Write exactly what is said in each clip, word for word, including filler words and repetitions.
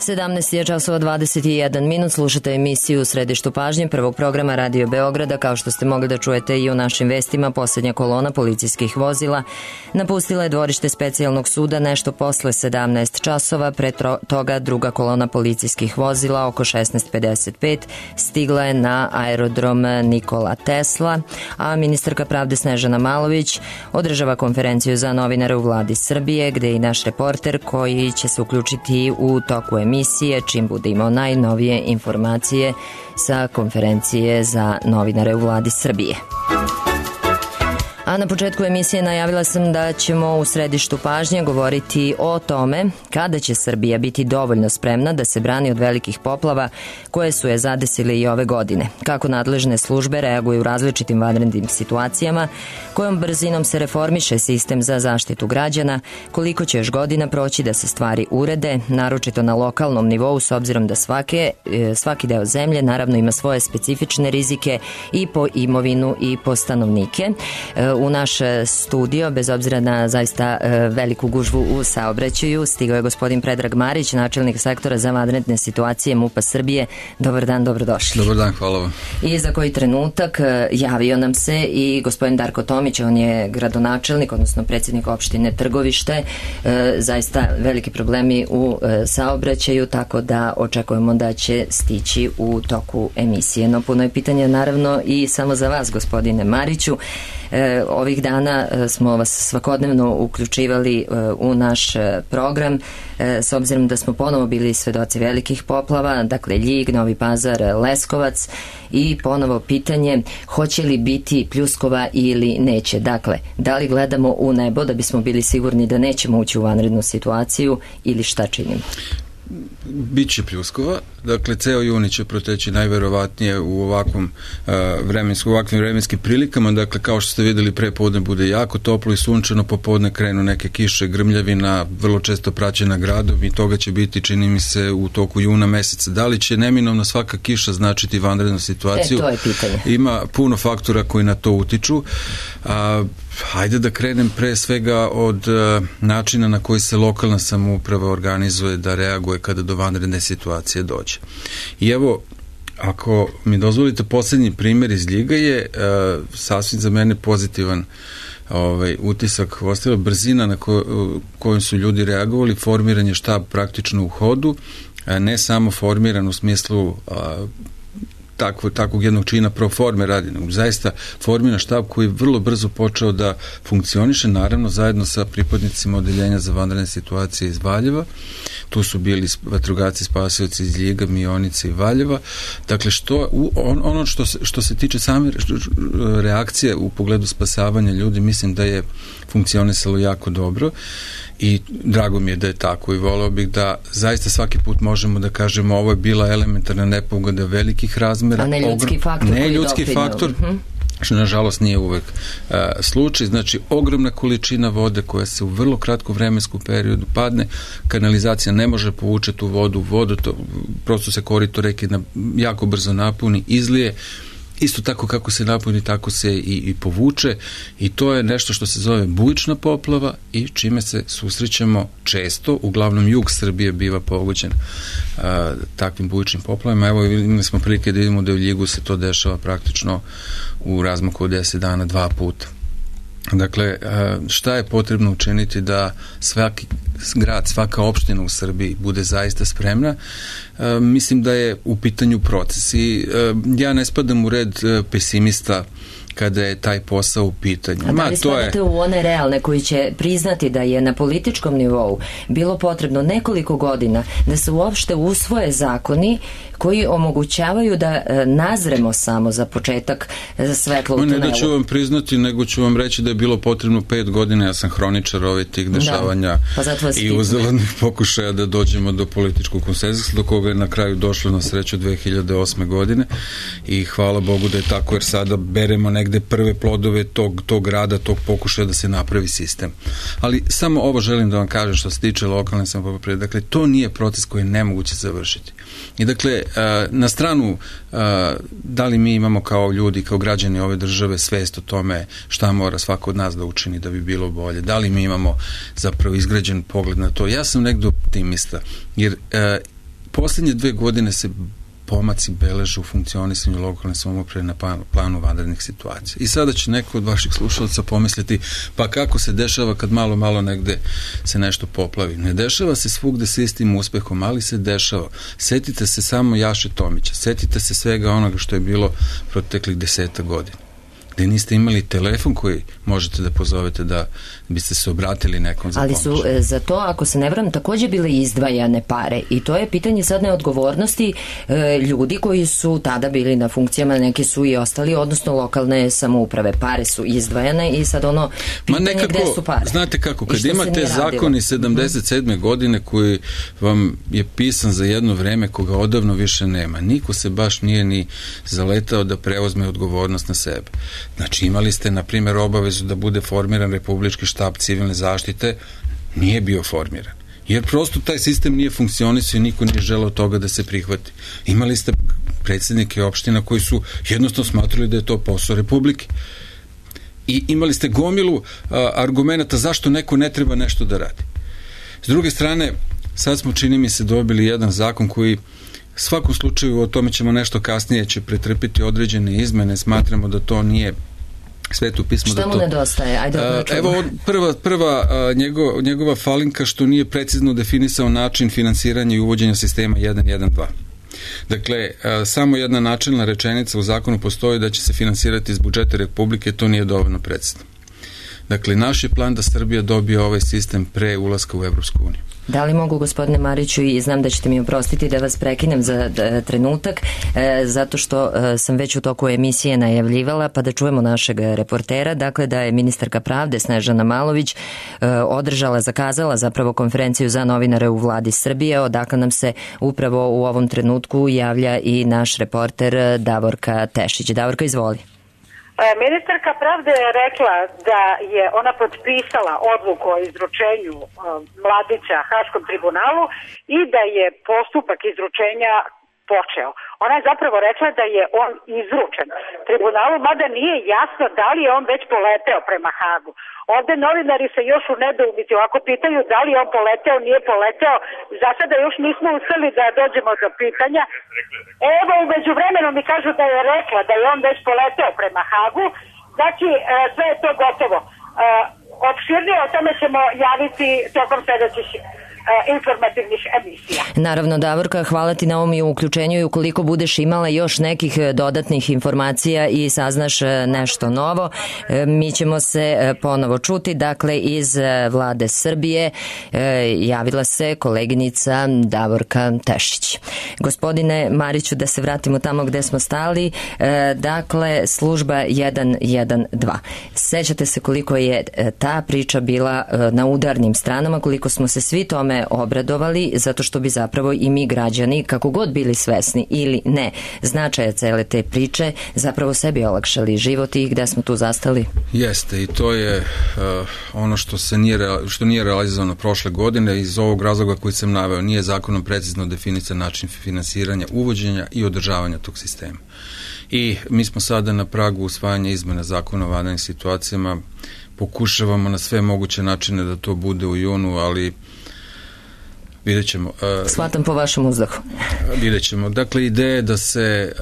sedamnaest je časova dvadeset jedan minut, slušate emisiju u središtu pažnje prvog programa Radio Beograda. Kao što ste mogli da čujete i u našim vestima, posljednja kolona policijskih vozila napustila je dvorište specijalnog suda nešto posle sedamnaest časova. Pre toga druga kolona policijskih vozila oko šesnaest pedeset pet stigla je na aerodrom Nikola Tesla, a ministarka pravde Snežana Malović održava konferenciju za novinare u vladi Srbije, gde je i naš reporter koji će se uključiti u toku emisije čim bude imao najnovije informacije sa konferencije za novinare u vladi Srbije. A na početku emisije najavila sam da ćemo u središtu pažnje govoriti o tome kada će Srbija biti dovoljno spremna da se brani od velikih poplava koje su je zadesile i ove godine. Kako nadležne službe reaguju u različitim vanrednim situacijama, kojom brzinom se reformiše sistem za zaštitu građana, koliko će još godina proći da se stvari urede, naročito na lokalnom nivou, s obzirom da svake, svaki deo zemlje naravno ima svoje specifične rizike i po imovinu i po stanovnike. U naš studio, bez obzira na zaista veliku gužvu u saobraćaju, stigao je gospodin Predrag Marić, načelnik sektora za vanredne situacije MUP-a Srbije. Dobar dan, dobrodošli. Dobar dan, hvala vam. I za koji trenutak javio nam se i gospodin Darko Tomić, on je gradonačelnik, odnosno predsjednik opštine Trgovište. Zaista veliki problemi u saobraćaju, tako da očekujemo da će stići u toku emisije. No, puno je pitanja naravno i samo za vas, gospodine Mariću. Ovih dana smo vas svakodnevno uključivali u naš program, s obzirom da smo ponovo bili svedoci velikih poplava, dakle Ljig, Novi Pazar, Leskovac, i ponovo pitanje hoće li biti pljuskova ili neće. Dakle, da li gledamo u nebo da bismo bili sigurni da nećemo ući u vanrednu situaciju ili šta činimo? Biće pljuskova, dakle ceo juni će proteći najverovatnije u ovakvom uh, vremensku, ovakvim vremenskim prilikama, dakle kao što ste videli pre podne bude jako toplo i sunčano, popodne krenu neke kiše, grmljavina, vrlo često praćena gradom i toga će biti, čini mi se, u toku juna meseca. Da li će neminovno svaka kiša značiti vanrednu situaciju? E, to je pitanje. Ima puno faktora koji na to utiču. A, hajde da krenem pre svega od uh, načina na koji se lokalna samouprava organizuje da reaguje kada do vanredne situacije dođe. I evo, ako mi dozvolite, poslednji primjer iz Ljiga je uh, sasvim za mene pozitivan ovaj, utisak ostavila brzina na ko, kojom su ljudi reagovali, formiranje štab praktično u hodu, a ne samo formiran u smislu a, Takvo, takvog jednog čina pro forme radi, zaista formiran štab koji je vrlo brzo počeo da funkcioniše, naravno zajedno sa pripadnicima odeljenja za vanredne situacije iz Valjeva. Tu su bili vatrogasci spasioci iz Ljiga, Mionice i Valjeva. Dakle, što, on, ono što se, što se tiče same reakcije u pogledu spasavanja ljudi, mislim da je funkcionisalo jako dobro i drago mi je da je tako i voleo bih da zaista svaki put možemo da kažemo ovo je bila elementarna nepogoda velikih razmera. A ne ljudski faktor. Ne ljudski faktor. Uh-huh. Što nažalost nije uvek uh, slučaj, znači ogromna količina vode koja se u vrlo kratkom vremenskom periodu padne, kanalizacija ne može povučeti tu vodu, vodu to, prosto se korito reke na, jako brzo napuni, izlije, isto tako kako se napuni, tako se i, i povuče i to je nešto što se zove bujična poplava i čime se susrećemo često, uglavnom jug Srbije biva pogođen a, takvim bujičnim poplavama. Evo imali smo prilike da vidimo da u Ljigu se to dešava praktično u razmaku od deset dana dva puta. Dakle, šta je potrebno učiniti da svaki grad, svaka opština u Srbiji bude zaista spremna? Mislim da je u pitanju proces i ja ne spadam u red pesimista kada je taj posao u pitanju. A da li spadate je... u one realne koji će priznati da je na političkom nivou bilo potrebno nekoliko godina da se uopšte usvoje zakoni koji omogućavaju da nazremo samo za početak za svetlo u tunelu? Ne da ću vam priznati, nego ću vam reći da je bilo potrebno pet godina. Ja sam hroničar ovih tih dešavanja da, pa i uzaludnih pokušaja da dođemo do političkog konsenzusa, do koga je na kraju došlo na sreću dve hiljade osme godine i hvala Bogu da je tako, jer sada beremo negde prve plodove tog, tog rada, tog pokušaja da se napravi sistem. Ali samo ovo želim da vam kažem što se tiče lokalne samouprave. Dakle, to nije proces koji je nemoguće završiti. I dakle, na stranu da li mi imamo kao ljudi, kao građani ove države svest o tome šta mora svako od nas da učini da bi bilo bolje, da li mi imamo zapravo izgrađen pogled na to. Ja sam negdje optimista, jer poslednje dve godine se pomaci beleže u funkcionisanju lokalne samouprave na planu vanrednih situacija. I sada će neko od vaših slušalaca pomisliti, pa kako se dešava kad malo, malo negde se nešto poplavi. Ne dešava se svugde sa istim uspehom, ali se dešava. Setite se samo Jaše Tomića, setite se svega onoga što je bilo proteklih deseta godina, gde niste imali telefon koji možete da pozovete da biste se obratili nekom za pomoć. Ali su e, za to, ako se ne varam, takođe bile izdvajane pare i to je pitanje sad neodgovornosti e, ljudi koji su tada bili na funkcijama, neki su i ostali, odnosno lokalne samouprave. Pare su izdvajane i sad ono pitanje Ma nekako, gde su pare. Znate kako, kad imate zakon iz sedamdeset sedme Mm-hmm. godine koji vam je pisan za jedno vreme koga odavno više nema, niko se baš nije ni zaletao da preuzme odgovornost na sebe. Znači imali ste, na primjer, obavezu da bude formiran Republički štab civilne zaštite, nije bio formiran. Jer prosto taj sistem nije funkcionisao i niko nije želeo toga da se prihvati. Imali ste predsjednike opština koji su jednostavno smatrali da je to posao Republike. I imali ste gomilu a, argumenta zašto neko ne treba nešto da radi. S druge strane, sad smo, čini mi se, dobili jedan zakon koji u svakom slučaju, o tome ćemo nešto kasnije, će pretrpiti određene izmene, smatramo da to nije sveto pismo. Šta da mu to... nedostaje? Ajde, a, evo, prva, prva a, njegov, njegova falinka što nije precizno definisao način finansiranja i uvođenja sistema jedan jedan dva. Dakle, a, samo jedna načelna rečenica u zakonu postoji da će se finansirati iz budžeta Republike, to nije dovoljno precizno. Dakle, naš je plan da Srbija dobije ovaj sistem pre ulaska u Evropsku uniju. Da li mogu, gospodine Mariću, i znam da ćete mi oprostiti da vas prekinem za d, trenutak, e, zato što e, sam već u toku emisije najavljivala, pa da čujemo našeg reportera, dakle da je ministarka pravde Snežana Malović e, održala, zakazala zapravo konferenciju za novinare u vladi Srbije, odakle nam se upravo u ovom trenutku javlja i naš reporter Davorka Tešić. Davorka, izvoli. Ministarka pravde je rekla da je ona potpisala odluku o izručenju Mladića Haškom tribunalu i da je postupak izručenja počeo. Ona je zapravo rekla da je on izručen tribunalu, mada nije jasno da li je on već poleteo prema Hagu. Ovde novinari se još u nedoumici ovako pitaju da li je on poleteo, nije poleteo. Za sada još nismo uspeli da dođemo do pitanja. Evo, umeđu vremenu mi kažu da je rekla da je on već poleteo prema Hagu. Znači, sve je to gotovo. Opširnije o tome ćemo javiti tokom sledećih informativnih emisija. Naravno, Davorka, hvala ti na ovom i uključenju i ukoliko budeš imala još nekih dodatnih informacija i saznaš nešto novo, mi ćemo se ponovo čuti. Dakle, iz vlade Srbije javila se koleginica Davorka Tešić. Gospodine Mariću, da se vratimo tamo gde smo stali, dakle, služba jedan jedan dva. Sećate se koliko je ta priča bila na udarnim stranama, koliko smo se svi tome obradovali, zato što bi zapravo i mi građani, kako god bili svesni ili ne značaja cele te priče, zapravo sebi olakšali život i gde smo tu zastali? Jeste, i to je uh, ono što se nije, što nije realizovano prošle godine. Iz ovog razloga koji sam naveo, nije zakonom precizno definisan način finansiranja, uvođenja i održavanja tog sistema. I mi smo sada na pragu usvajanja izmena zakona o vanrednim situacijama. Pokušavamo na sve moguće načine da to bude u junu, ali vidjet ćemo. Uh, Shvatam po vašem uzdahu. Vidjet ćemo. Dakle, ideja je da se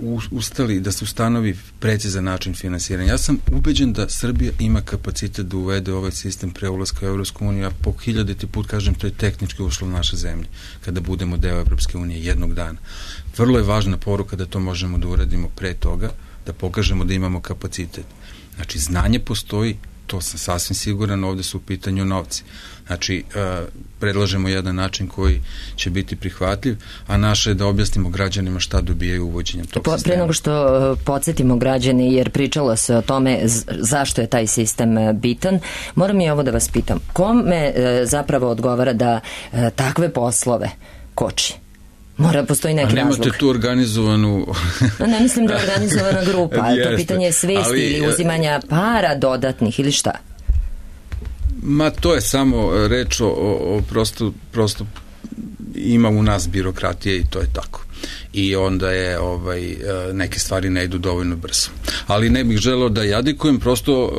uh, ustali, da se ustanovi precizan način finansiranja. Ja sam ubeđen da Srbija ima kapacitet da uvede ovaj sistem pre ulaska u Evropsku uniju, a po hiljaditi put kažem, to je tehnički uslov naše zemlje, kada budemo deo Evropske unije jednog dana. Vrlo je važna poruka da to možemo da uradimo pre toga, da pokažemo da imamo kapacitet. Znači, znanje postoji, to sam sasvim siguran, ovde su u pitanju novci. Znači, uh, predlažemo jedan način koji će biti prihvatljiv, a naše je da objasnimo građanima šta dobijaju uvođenjem tog po, sistema. Pre nego što uh, podsjetimo građani, jer pričalo se o tome z- zašto je taj sistem uh, bitan, moram i ovo da vas pitam. Kome uh, zapravo odgovara da uh, takve poslove koči? Mora, postoji neki razlog. A nemate tu organizovanu... No, ne mislim da je organizovana grupa, ali to pitanje svesti ali, ili uzimanja para dodatnih ili šta? Ma to je samo reč o, o prosto, prosto ima u nas birokratije i to je tako. i onda je ovaj, neke stvari ne idu dovoljno brzo. Ali ne bih želeo da jadikujem, prosto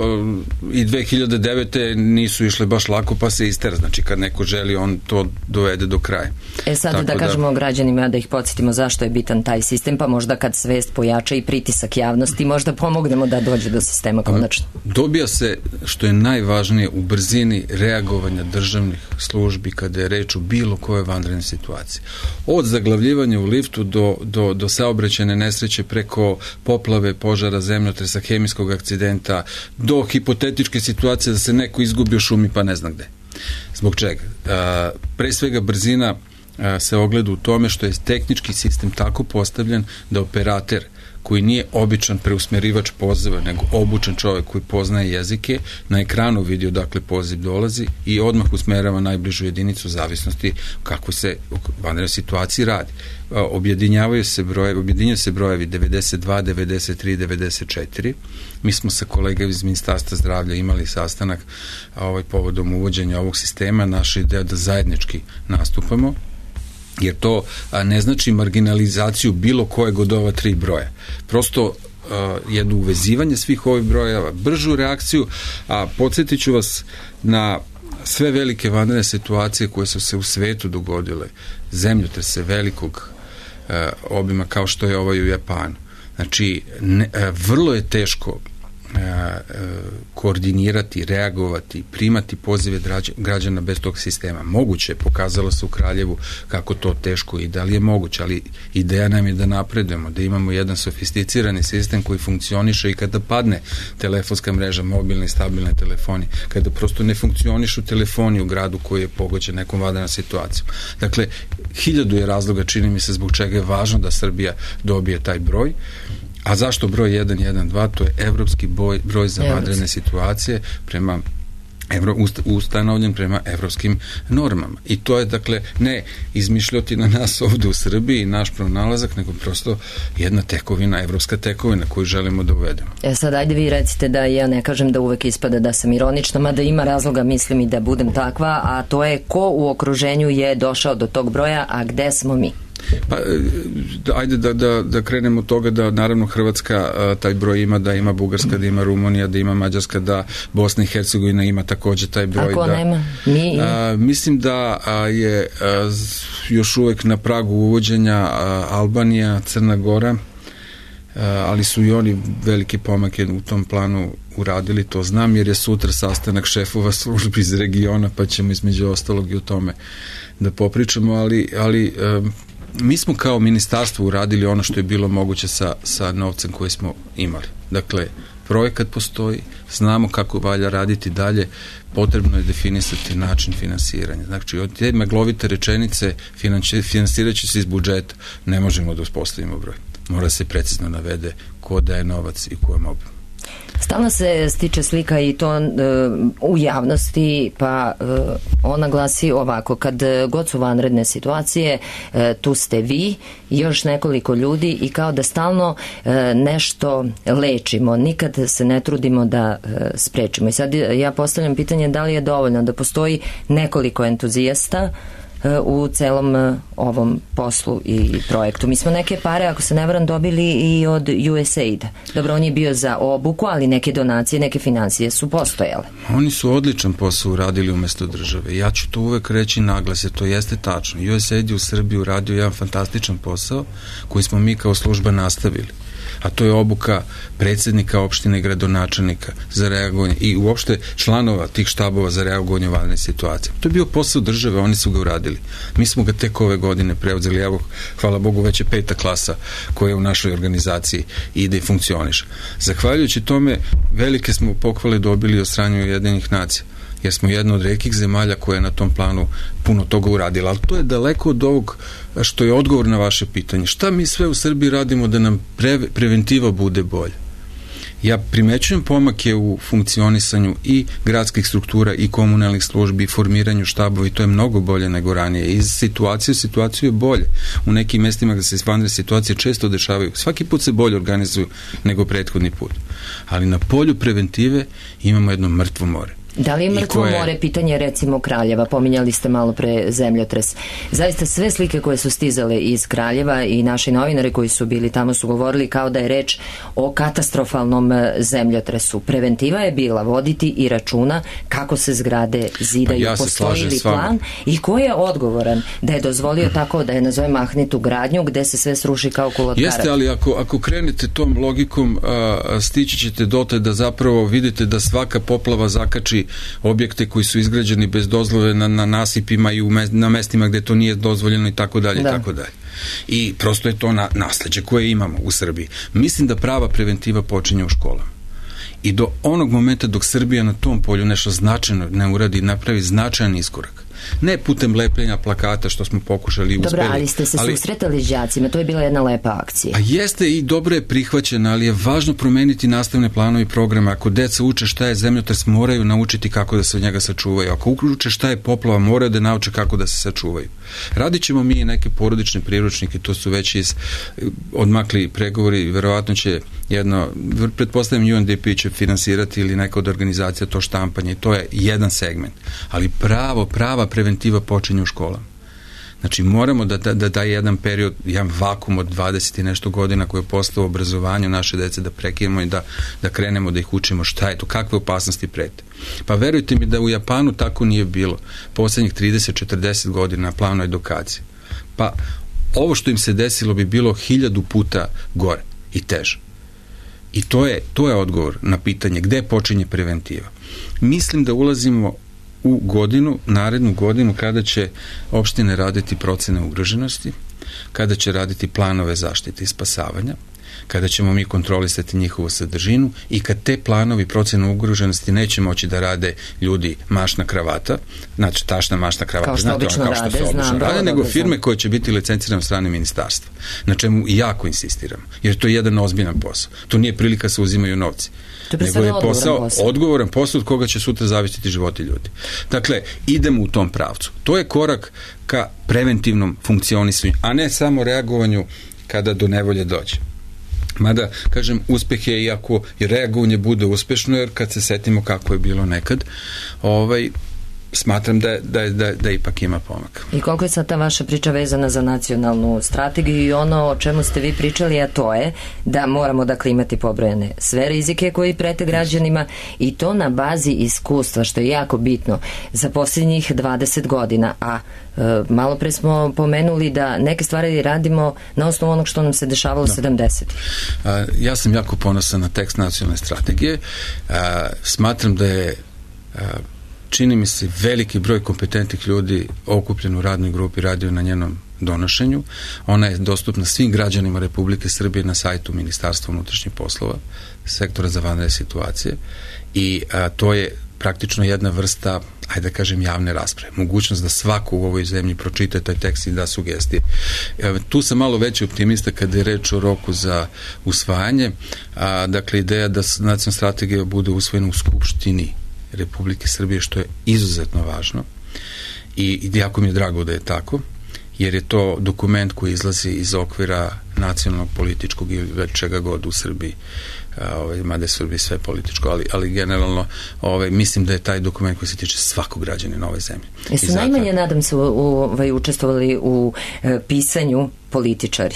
i dve hiljade devete nisu išle baš lako, pa se istera. Znači kad neko želi, on to dovede do kraja. E sad Tako da kažemo da... građanima, da ih podsjetimo zašto je bitan taj sistem, pa možda kad svest pojača i pritisak javnosti, možda pomognemo da dođe do sistema konačno. Dobija se, što je najvažnije, u brzini reagovanja državnih službi kada je reč o bilo koje vanredne situacije. Od zaglavljivanja u liftu do, do, do saobraćajne nesreće, preko poplave, požara, zemljotresa, hemijskog akcidenta, do hipotetičke situacije da se neko izgubi u šumi pa ne zna gde. Zbog čega? A, pre svega brzina a, se ogleda u tome što je tehnički sistem tako postavljen da operater koji nije običan preusmerivač poziva, nego obučen čovjek koji poznaje jezike, na ekranu vidi odakle poziv dolazi i odmah usmerava najbližu jedinicu u zavisnosti kako se u vanrednoj situaciji radi. Objedinjavaju se brojevi, objedinjaju se brojevi devedeset dva, devedeset tri, devedeset četiri. Mi smo sa kolegama iz Ministarstva zdravlja imali sastanak ovaj, povodom uvođenja ovog sistema. Naša ideja da zajednički nastupamo, jer to a, ne znači marginalizaciju bilo kojeg od ova tri broja. Prosto a, jedno uvezivanje svih ovih brojeva, bržu reakciju, a podsjetit ću vas na sve velike vanredne situacije koje su se u svetu dogodile, zemljotrese velikog a, obima kao što je ovaj u Japanu. Znači, ne, a, vrlo je teško koordinirati, reagovati, primati pozive građana bez tog sistema. Moguće, pokazalo se u Kraljevu kako to teško i da li je moguće, ali ideja nam je da napredujemo, da imamo jedan sofisticirani sistem koji funkcioniše i kada padne telefonska mreža, mobilne i stabilne telefoni, kada prosto ne funkcionišu telefoni u gradu koji je pogođen nekom vanrednom situacijom. Dakle, hiljadu je razloga, čini mi se, zbog čega je važno da Srbija dobije taj broj. A zašto broj jedan jedan dva? To je evropski broj, broj za vanredne situacije prema Evro, ustanovljen prema evropskim normama. I to je, dakle, ne izmišljati na nas ovde u Srbiji naš pronalazak, nego prosto jedna tekovina, evropska tekovina koju želimo da uvedemo. E sad, ajde vi recite da ja ne kažem da uvek ispada da sam ironična, mada ima razloga, mislim, i da budem takva, a to je ko u okruženju je došao do tog broja, a gde smo mi? Pa, ajde da, da, da krenemo od toga da naravno Hrvatska a, taj broj ima, da ima Bugarska, da ima Rumunija, da ima Mađarska, da Bosna i Hercegovina ima takođe taj broj. Ako da, nema? Mi... A, mislim da a, je a, još uvek na pragu uvođenja a, Albanija, Crna Gora, a, ali su i oni velike pomake u tom planu uradili, to znam, jer je sutra sastanak šefova službi iz regiona, pa ćemo između ostalog i o tome da popričamo, ali, ali a, mi smo kao ministarstvo uradili ono što je bilo moguće sa, sa novcem koji smo imali. Dakle, projekat postoji, znamo kako valja raditi dalje, potrebno je definisati način finansiranja. Znači, od te maglovite rečenice finansirat će se iz budžeta, ne možemo da uspostavimo broj. Mora se precizno navede ko daje novac i kojem obimu. Stalno se stiče slika i to uh, u javnosti, pa uh, ona glasi ovako: kad god su vanredne situacije, uh, tu ste vi i još nekoliko ljudi i kao da stalno uh, nešto lečimo, nikad se ne trudimo da uh, sprečimo. I sad ja postavljam pitanje da li je dovoljno da postoji nekoliko entuzijasta u celom ovom poslu i projektu. Mi smo neke pare, ako se ne varam, dobili i od U S A I D. Dobro, on je bio za obuku, ali neke donacije, neke financije su postojale. Oni su odličan posao uradili umesto države. Ja ću to uvek reći naglase, to jeste tačno. U S A I D je u Srbiji uradio jedan fantastičan posao koji smo mi kao služba nastavili. A to je obuka predsjednika opštine i gradonačelnika za reagovanje i uopšte članova tih štabova za reagovanje u vanredne situacije. To je bio posao države, oni su ga uradili. Mi smo ga tek ove godine preuzeli, evo, hvala Bogu, već je peta klasa koja u našoj organizaciji ide i funkcioniše. Zahvaljujući tome, velike smo pohvale dobili od strane Ujedinjenih nacija, jer smo jedna od retkih zemalja koja je na tom planu puno toga uradila, ali to je daleko od ovog što je odgovor na vaše pitanje. Šta mi sve u Srbiji radimo da nam pre, preventiva bude bolja? Ja primećujem pomake u funkcionisanju i gradskih struktura i komunalnih službi i formiranju štabova i to je mnogo bolje nego ranije. Iz situacije u situaciju je bolje. U nekim mestima gde se vanredne situacije često dešavaju, svaki put se bolje organizuju nego prethodni put. Ali na polju preventive imamo jedno mrtvo more. Da li je mrtvo koje... more pitanje recimo Kraljeva? Pominjali ste malo pre zemljotres. Zaista sve slike koje su stizale iz Kraljeva i naši novinari koji su bili tamo su govorili kao da je reč o katastrofalnom zemljotresu. Preventiva je bila voditi i računa kako se zgrade zidaju, pa ja postoji li plan i ko je odgovoran da je dozvolio tako da je nazove mahnitu gradnju gde se sve sruši kao kulot karat. Jeste, ali ako, ako krenete tom logikom a, stići ćete dotle da zapravo vidite da svaka poplava zakači objekte koji su izgrađeni bez dozvole na, na nasipima i u me, na mestima gde to nije dozvoljeno i tako dalje i tako dalje. I prosto je to na, nasleđe koje imamo u Srbiji. Mislim da prava preventiva počinje u školama. I do onog momenta dok Srbija na tom polju nešto značajno ne uradi, napravi značajan iskorak. Ne putem lepljenja plakata što smo pokušali i uspeli. Dobro, ali ste se ali, susretali s đacima, to je bila jedna lepa akcija. A jeste i dobro je prihvaćena, ali je važno promeniti nastavne planove i programe. Ako deca uče šta je zemljotres, moraju naučiti kako da se od njega sačuvaju. Ako uče šta je poplava, moraju da nauče kako da se sačuvaju. Radit ćemo mi i neke porodične priručnike, to su već iz odmakli pregovori, verovatno će jedno, pretpostavljam U N D P će finansirati ili neka od organizacija to štampanje, to je jedan segment. Ali pravo, prava preventiva počinje u školama. Znači moramo da da, da, da jedan period, jedan vakum od dvadeset i nešto godina koji je postao obrazovanju naše dece da prekinemo i da, da krenemo da ih učimo šta je to, kakve opasnosti prete. Pa verujte mi da u Japanu tako nije bilo poslednjih trideset do četrdeset godina na planu edukacije. Pa ovo što im se desilo bi bilo hiljadu puta gore i teže. I to je, to je odgovor na pitanje gde počinje preventiva. Mislim da ulazimo u godinu, narednu godinu kada će opštine raditi procene ugroženosti, kada će raditi planove zaštite i spasavanja, kada ćemo mi kontrolisati njihovu sadržinu i kad te planovi procene ugroženosti neće moći da rade ljudi mašna kravata, znači tašna mašna kravata, kao što znate, obično ono, kao što rade, se obično znam, rade, nego da, firme znam. koje će biti licencirane od strane ministarstva, na čemu jako insistiramo, jer to je jedan ozbiljan posao. To nije prilika se uzimaju novci. Nego je posao, posao, odgovoran posao od koga će sutra zavisiti životi ljudi. Dakle, idemo u tom pravcu. To je korak ka preventivnom funkcionisanju, a ne samo reagovanju kada do nevolje dođe. Mada, kažem, uspeh je iako i reagovanje bude uspešno, jer kad se setimo kako je bilo nekad, ovaj, smatram da, da, da, da ipak ima pomak. I koliko je sad ta vaša priča vezana za nacionalnu strategiju i ono o čemu ste vi pričali, a to je da moramo dakle imati pobrojene sve rizike koji prete građanima i to na bazi iskustva, što je jako bitno za posljednjih dvadeset godina, a e, malo pre smo pomenuli da neke stvari radimo na osnovu onog što nam se dešavalo da. sedamdesetih. Ja sam jako ponosan na tekst nacionalne strategije. A, smatram da je a, čini mi se veliki broj kompetentnih ljudi okupljen u radnoj grupi radio na njenom donošenju. Ona je dostupna svim građanima Republike Srbije na sajtu Ministarstva unutrašnjih poslova, sektora za vanredne situacije i a, to je praktično jedna vrsta, ajde da kažem, javne rasprave. Mogućnost da svako u ovoj zemlji pročita taj tekst i da sugestije. E, tu sam malo veći optimista kada je reč o roku za usvajanje. A, dakle, ideja da nacionalna strategija bude usvojena u Skupštini Republike Srbije, što je izuzetno važno i jako mi je drago da je tako, jer je to dokument koji izlazi iz okvira nacionalnog, političkog ili već čega god u Srbiji, ovaj, mada je Srbiji sve političko, ali, ali generalno ovaj, mislim da je taj dokument koji se tiče svakog građanina ove zemlje. Jesu zato... najmanje, nadam se, u, ovaj, učestvovali u e, pisanju političari?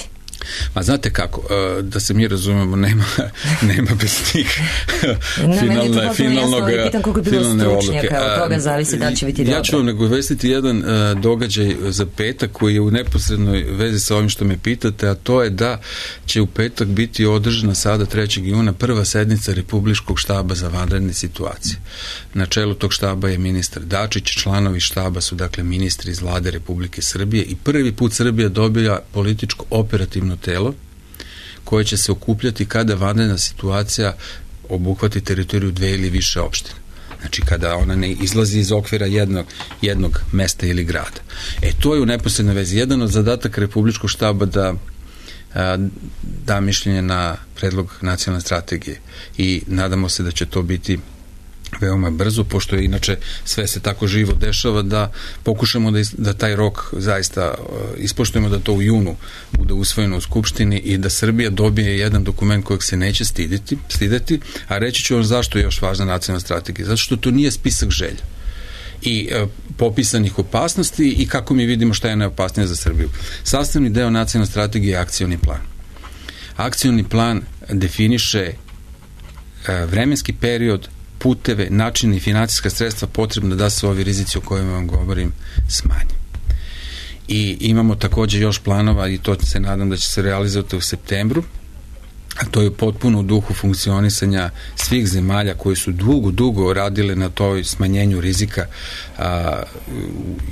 Ma znate kako, da se mi razumemo, nema, nema bez njih finalne, finalnog, finalne odluke. Od toga zavisi da će biti dobro. Ja ću vam nagovestiti jedan uh, događaj za petak koji je u neposrednoj vezi sa ovim što me pitate, a to je da će u petak biti održana sada trećeg juna prva sednica Republičkog štaba za vanredne situacije. Na čelu tog štaba je ministar Dačić, članovi štaba su dakle ministri iz vlade Republike Srbije i prvi put Srbija dobija političko operativno telo koje će se okupljati kada vanredna situacija obuhvati teritoriju dve ili više opština. Znači kada ona ne izlazi iz okvira jednog, jednog mesta ili grada. E to je u neposrednoj vezi. Jedan od zadataka Republičkog štaba da a, da mišljenje na predlog nacionalne strategije i nadamo se da će to biti veoma brzo, pošto je inače sve se tako živo dešava, da pokušamo da, da taj rok zaista ispoštujemo, da to u junu bude usvojeno u Skupštini i da Srbija dobije jedan dokument kojeg se neće stiditi, stideti, a reći ću vam zašto je još važna nacionalna strategija. Zato što to nije spisak želja i e, popisanih opasnosti i kako mi vidimo šta je najopasnije za Srbiju. Sastavni deo nacionalne strategije je akcioni plan. Akcioni plan definiše e, vremenski period, puteve, načine i financijska sredstva potrebna da se ovi rizici o kojima vam govorim smanje. I imamo takođe još planova i to se nadam da će se realizovati u septembru, a to je potpuno u duhu funkcionisanja svih zemalja koji su dugo, dugo radile na toj smanjenju rizika a,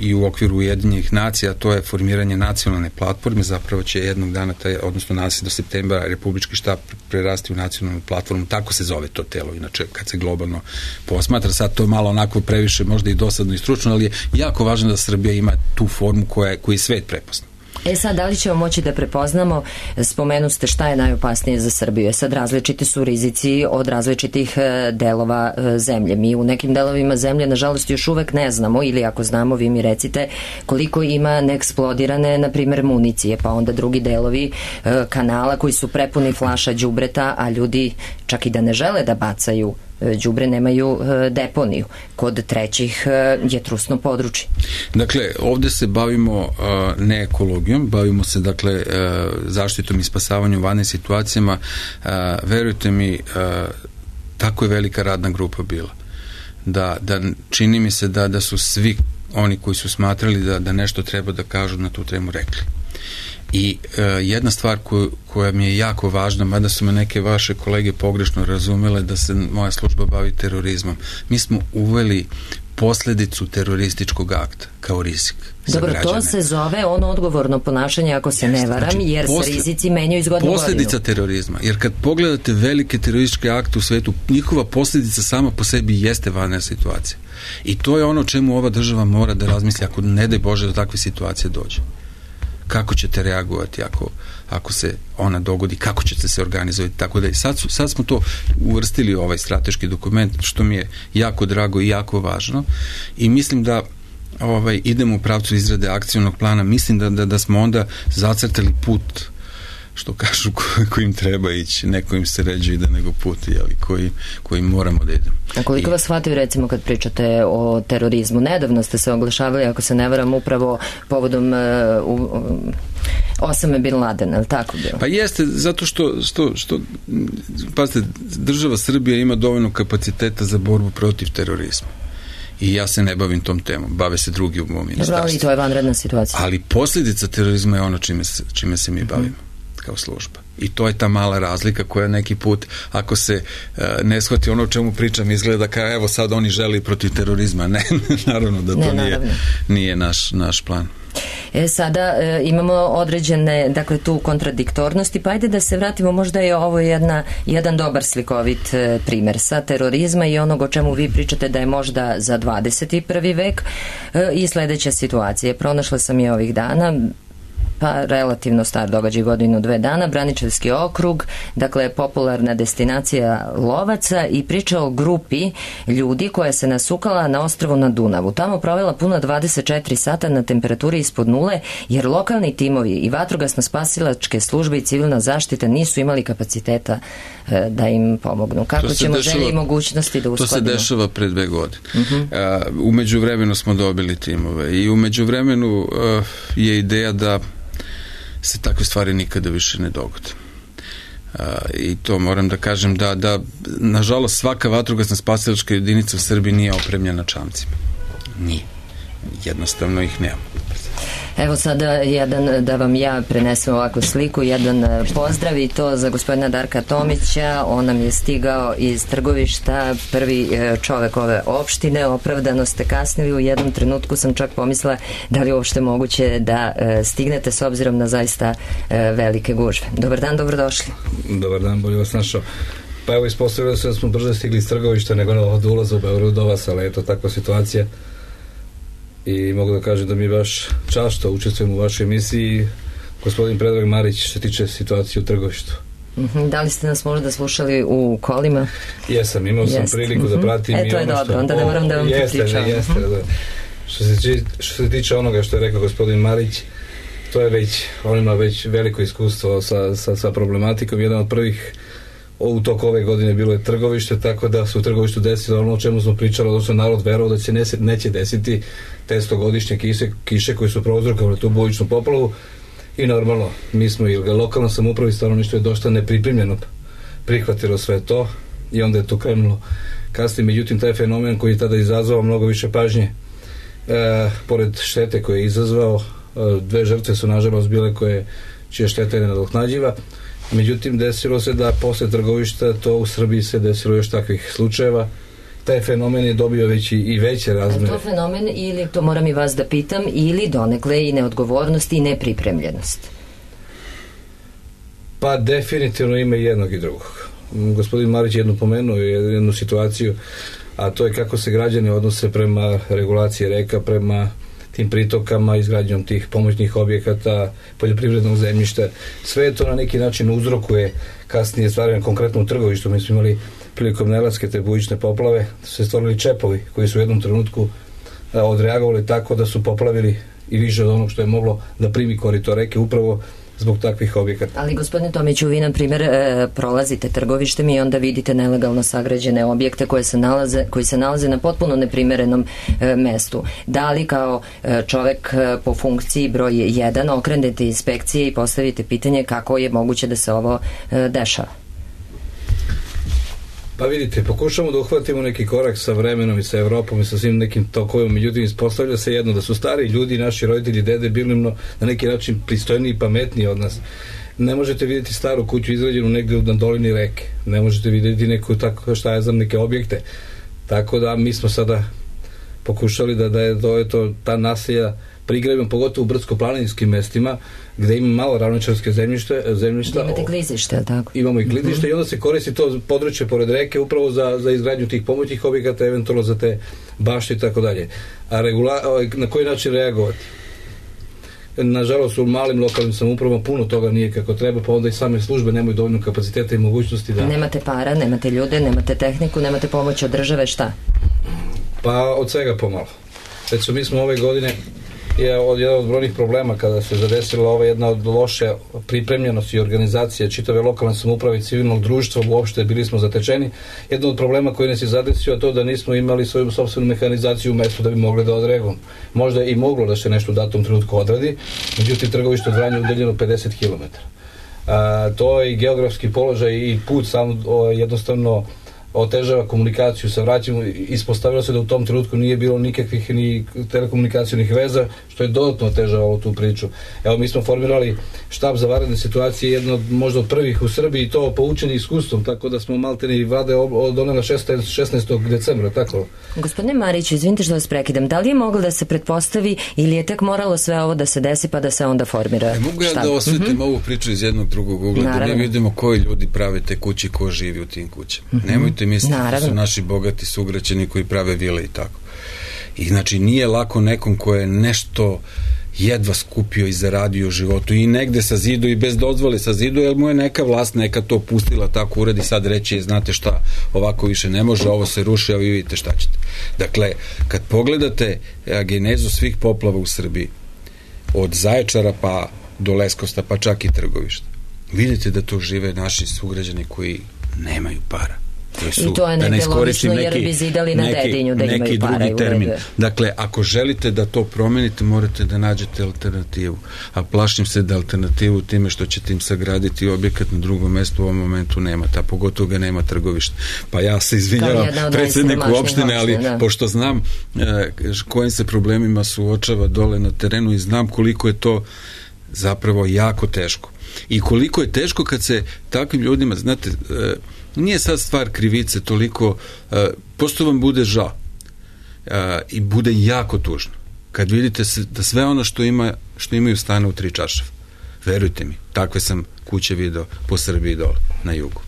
i u okviru Ujedinjenih nacija, to je formiranje nacionalne platforme, zapravo će jednog dana, taj, odnosno nas do septembra, Republički štab prerasti u nacionalnu platformu, tako se zove to telo, inače kad se globalno posmatra, sad to je malo onako previše, možda i dosadno i stručno, ali je jako važno da Srbija ima tu formu koja, koji svet prepozna. E sad, da li ćemo moći da prepoznamo, spomenu ste šta je najopasnije za Srbiju, e sad različiti su rizici od različitih delova zemlje. Mi u nekim delovima zemlje, nažalost, još uvek ne znamo, ili ako znamo, vi mi recite koliko ima neeksplodirane, na primer, municije, pa onda drugi delovi kanala koji su prepuni flaša đubreta, a ljudi čak i da ne žele da bacaju đubre, nemaju deponiju. Kod trećih je trusno područje. Dakle, ovde se bavimo uh, ne ekologijom, bavimo se dakle uh, zaštitom i spasavanjem u vanrednim situacijama. Uh, verujte mi, uh, tako je velika radna grupa bila. Da, da čini mi se da, da su svi oni koji su smatrali da, da nešto treba da kažu na tu temu rekli. I e, jedna stvar koju, koja mi je jako važna, mada su me neke vaše kolege pogrešno razumele da se moja služba bavi terorizmom. Mi smo uveli posledicu terorističkog akta kao rizik. Dobro, to se zove ono odgovorno ponašanje, ako se ne varam, znači, jer posle, se rizici menjaju iz godine u godinu. Posledica terorizma, jer kad pogledate velike terorističke akte u svetu, njihova posljedica sama po sebi jeste vanredna situacija. I to je ono čemu ova država mora da razmisli ako ne daj Bože do takve situacije dođe. Kako ćete reagovati ako, ako se ona dogodi, kako ćete se organizovati, tako da i sad, su, sad smo to uvrstili u ovaj strateški dokument, što mi je jako drago i jako važno i mislim da ovaj, idemo u pravcu izrade akcionog plana, mislim da, da, da smo onda zacrtali put, što kažu, ko, kojim treba ići, ne kojim se ređe ide nego put, jeli, koji, kojim moramo da idemo. A koliko I, vas shvataju, recimo, kad pričate o terorizmu? Nedavno ste se oglašavali, ako se ne varam, upravo povodom uh, uh, Osame Bin Ladena, ali tako bilo? Pa jeste, zato što, što, što pazite, država Srbija ima dovoljno kapaciteta za borbu protiv terorizma. I ja se ne bavim tom temom, bave se drugi u mom ministarstvu. Dobro, ali to je vanredna situacija. Ali posljedica terorizma je ono čime se, čime se mi bavimo. Mm. Kao služba. I to je ta mala razlika koja neki put, ako se uh, ne shvati ono o čemu pričam, izgleda kao evo sad oni želi protiv terorizma. Ne, naravno da to ne, nije, nije naš, naš plan. E, sada e, imamo određene, dakle, tu kontradiktornosti, pa ajde da se vratimo, možda je ovo jedna, jedan dobar slikovit e, primer sa terorizma i onog o čemu vi pričate da je možda za dvadeset prvi vek e, i sledeća situacija. Pronašla sam je ovih dana, pa relativno star događaj, godinu, dve dana, Braničevski okrug, dakle popularna destinacija lovaca, i priča o grupi ljudi koja se nasukala na ostrvu na Dunavu. Tamo provela puno dvadeset četiri sata na temperaturi ispod nule, jer lokalni timovi i vatrogasno-spasilačke službe i civilna zaštita nisu imali kapaciteta e, da im pomognu. Kako ćemo dešava, želje i mogućnosti da uskladimo? To se dešava pre dve godine. Uh-huh. A, umeđu vremenu smo dobili timove i umeđu vremenu uh, je ideja da se takve stvari nikada više ne dogode. Uh, I to moram da kažem da, da nažalost svaka vatrogasna spasilačka jedinica u Srbiji nije opremljena čamcima. Nije. Jednostavno ih nema. Evo sada jedan, da vam ja prenesem ovakvu sliku, jedan pozdrav, i to za gospodina Darka Tomića. On nam je stigao iz Trgovišta, prvi čovek ove opštine. Opravdano ste kasnili, u jednom trenutku sam čak pomislila da li je uopšte moguće da stignete s obzirom na zaista velike gužve. Dobar dan, dobrodošli. Dobar dan, bolje vas našao. Pa evo, ispostavilo se da smo brže stigli iz Trgovišta nego od ulaza u Beograd do vas, ali eto, takva situacija. I mogu da kažem da mi je baš čast što učestvujem u vašoj emisiji. Gospodin Predrag Marić, što se tiče situacije u Trgovištu. Uh-huh. Da li ste nas možda slušali u kolima? Jesam, imao sam Jest. priliku uh-huh. da pratim. E, to je ono dobro, što... onda ne moram da vam jeste, pričam. Jeste, uh-huh. da. Što se, što se tiče onoga što je rekao gospodin Marić, to je već, on ima već veliko iskustvo sa, sa, sa problematikom. Jedan od prvih u toku ove godine bilo je Trgovište, tako da su u Trgovištu desilo ono o čemu smo pričali, odnosno narod verovao da će ne, neće desiti te stogodišnje kiše, kiše koje su prouzrokovale tu bujičnu poplavu i normalno, mi smo i lokalna samouprava i stanovništvo je dosta nepripremljeno prihvatilo sve to i onda je to krenulo kasnije. Međutim, taj fenomen koji je tada izazvao mnogo više pažnje, e, pored štete koje je izazvao, e, dve žrtve su nažalost bile koje čija šteta je nenadoknadiva. Međutim, desilo se da posle Trgovišta to u Srbiji se desilo još takvih slučajeva. Taj fenomen je dobio već i, i veće razmere. Je to fenomen ili, to moram i vas da pitam, ili donekle i neodgovornost i nepripremljenost? Pa definitivno ima i jednog i drugog. Gospodin Marić jednu pomenuo jednu situaciju, a to je kako se građani odnose prema regulaciji reka, prema tim pritokama, izgradnjom tih pomoćnih objekata, poljoprivrednog zemljišta. Sve to na neki način uzrokuje kasnije stvaranje, konkretno u Trgovištu. Mi smo imali prilikom Nelatske te bujične poplave, su se stvorili čepovi koji su u jednom trenutku a, odreagovali tako da su poplavili i više od onog što je moglo da primi korito reke upravo zbog takvih objekata. Ali gospodine Tomiću, vi na primjer e, prolazite Trgovištem i onda vidite nelegalno sagrađene objekte koje se nalaze, koji se nalaze na potpuno neprimerenom e, mestu. Da li kao e, čovek e, po funkciji broj jedan okrenete inspekcije i postavite pitanje kako je moguće da se ovo e, dešava? Pa vidite, pokušamo da uhvatimo neki korak sa vremenom i sa Evropom i sa svim nekim tokovima, međutim ispostavlja se jedno, da su stari ljudi, naši roditelji, dede, bili na neki način pristojniji i pametniji od nas. Ne možete vidjeti staru kuću izgrađenu negdje na dolini reke, ne možete vidjeti neku, tako, šta ja znam, neke objekte. Tako da mi smo sada pokušali da, da je to, je to ta naselja prigradimo, pogotovo u brdsko-planinskim mestima gde ima malo ravničarske zemljište, zemljišta. Imate klizište, tako? Imamo i klizište mm-hmm. i onda se koristi to područje pored reke upravo za, za izgradnju tih pomoćnih objekata, eventualno za te bašte i tako dalje. A regula, na koji način reagovati? Nažalost, u malim lokalnim samoupravama puno toga nije kako treba, pa onda i same službe nemaju dovoljno kapaciteta i mogućnosti da... Nemate para, nemate ljude, nemate tehniku, nemate pomoć od države, šta? Pa od svega pomalo. Recimo, mi smo ove godine je od jedan od brojnih problema kada se zadesila ova jedna od loše pripremljenosti i organizacije čitave lokalne samouprave i civilnog društva, uopšte bili smo zatečeni. Jedan od problema koji nas je zadesio je to da nismo imali svoju sopstvenu mehanizaciju u mestu da bi mogli da odreagujemo. Možda je i moglo da se nešto u datom trenutku odradi, međutim Trgovište od Vranja udaljeno pedeset kilometara. A, to je i geografski položaj i put sam o, jednostavno otežava komunikaciju sa vraćima. Ispostavilo se da u tom trenutku nije bilo nikakvih ni telekomunikacijnih veza, što je dodatno otežavalo tu priču. Evo, mi smo formirali štab za vanredne situacije, jedno od, možda od prvih u Srbiji, to poučeni iskustvom, tako da smo maltene vlade donela šesnaestog decembra, tako? Gospodine Mariću, izvinite što vas prekidam, da li je moglo da se pretpostavi ili je tek moralo sve ovo da se desi pa da se onda formira e, mogu ja štab? Da osvetim mm-hmm. ovu priču iz jednog drugog ugla, da mi vidimo koji ljudi prave te kuće, ko živi u tim kućama. Mm-hmm. Nemojte misliti da su naši bogati sugrađani koji prave vile i tako. I znači nije lako nekom ko je nešto jedva skupio i zaradio u životu i negde sa zidu i bez dozvole sa zidu, jer mu je neka vlast neka to pustila tako uredi, sad reći znate šta, ovako više ne može, ovo se ruši, a vi vidite šta ćete. Dakle, kad pogledate genezu svih poplava u Srbiji, od Zaječara pa do Leskovca, pa čak i Trgovišta, vidite da to žive naši sugrađani koji nemaju para. Su, i to je negde da logično jer bi zidali na neki, Dedinju da imaju para i termin. Dakle, ako želite da to promenite, morate da nađete alternativu. A plašim se da alternativu time što ćete im sagraditi objekat na drugom mestu u ovom momentu nema. Ta pogotovo ga nema Trgovište. Pa ja se izvinjavam predsjedniku opštine, ali da. Pošto znam eh, kojim se problemima suočava dole na terenu i znam koliko je to zapravo jako teško. I koliko je teško kad se takvim ljudima, znate, eh, nije sad stvar krivice toliko, uh, posto vam bude žao uh, i bude jako tužno kad vidite se, da sve ono što ima što imaju stane u tri čaršave. Verujte mi, takve sam kuće video po Srbiji dole, na jugu.